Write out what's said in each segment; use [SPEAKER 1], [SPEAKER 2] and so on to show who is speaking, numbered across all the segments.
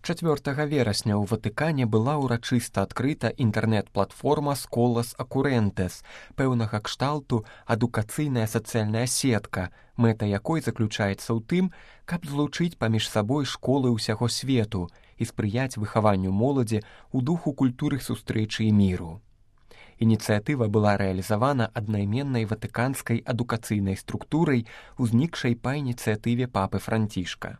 [SPEAKER 1] 4 верасня ў Ватыкане была ўрачыста адкрыта інтэрнэт-платформа «Сколас Акурэнтэс», пэўнага кшталту адукацыйная сацыяльная сетка, мэта якой заключаецца ў тым, каб злучыць паміж сабой школы ўсяго свету і спрыяць выхаванню моладзі ў духу культуры сустрэчы і міру. Ініцыятыва была рэалізавана аднайменнай ватыканскай адукацыйнай структурай, узнікшай па ініцыятыве папы Францішка.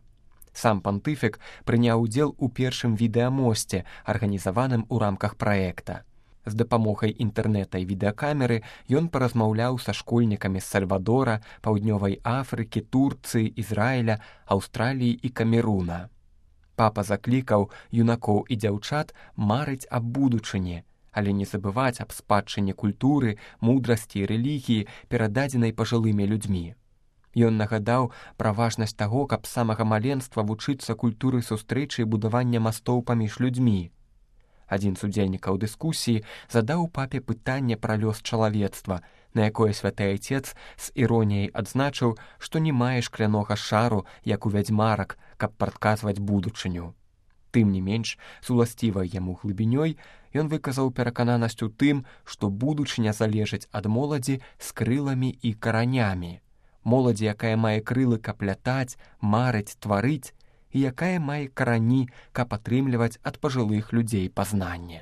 [SPEAKER 1] Сам пантыфік прыняў удзел у першым відэамосце, арганізаваным у рамках праекта. З дапамогай інтэрнэта і відэакамеры ён паразмаўляў са школьнікамі з Сальвадора, Паўднёвай Афрыкі, Турцыі, Ізраіля, Аўстраліі і Камеруна. Папа заклікаў юнакоў і дзяўчат марыць аб будучыні, але не забываць аб спадчыне культуры, мудрасці і рэлігіі, перададзенай пажылымі людзьмі. Ён нагадаў пра важнасць таго, каб з самага маленства вучыцца культуры сустрэчы і будавання мастоў паміж людзьмі. Адзін з удзельнікаў дыскусіі задаў папе пытанне пра лёс чалавецтва, на якое святы айцец з іроніяй адзначыў, што не мае шклянога шару, як у вядзьмарак, каб прадказваць будучыню. Тым не менш, з уласцівай яму глыбінёй, ён выказаў перакананасць у тым, што будучыня залежыць ад моладзі з крыламі і каранямі. Моладзі, якая мае крылы, каб лятаць, марыць, тварыць, і якая мае карані, каб атрымліваць ад пажылых людзей пазнанне.